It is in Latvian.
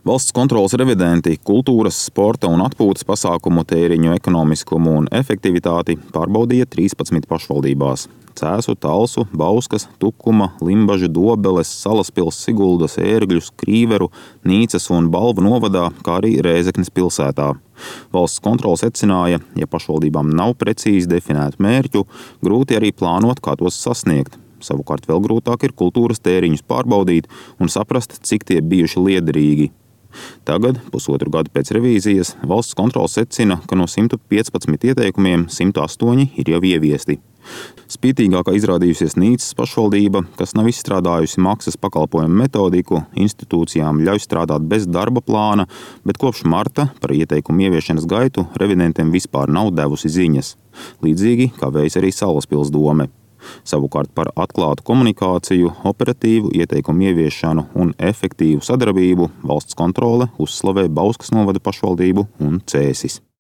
Valsts kontroles revidenti kultūras, sporta un atpūtas pasākumu tēriņu ekonomiskumu un efektivitāti pārbaudīja 13 pašvaldībās. Cēsu, Talsu, Bauskas, Tukuma, Limbažu, Dobeles, Salaspils, Siguldas, Ērgļus, Krīveru, Nīcas un Balvu novadā, kā arī Rēzeknes pilsētā. Valsts kontrole secināja, ja pašvaldībām nav precīzi definētu mērķu, grūti arī plānot, kā tos sasniegt. Savukārt vēl grūtāk ir kultūras tēriņus pārbaudīt un saprast, cik tie bijuši liederīgi. Tagad, pusotru gadu pēc revīzijas, valsts kontrole secina, ka no 115 ieteikumiem 108 ir jau ieviesti. Spītīgākā izrādījusies Nīcas pašvaldība, kas nav izstrādājusi maksas pakalpojumu metodiku, institūcijām ļauj strādāt bez darba plāna, bet kopš marta par ieteikumu ieviešanas gaitu revidentiem vispār nav devusi ziņas. Līdzīgi kā veids arī Salaspils dome. Savukārt par atklātu komunikāciju, operatīvu ieteikumu ieviešanu un efektīvu sadarbību valsts kontrole uzslavē Bauskas novada pašvaldību un Cēsis.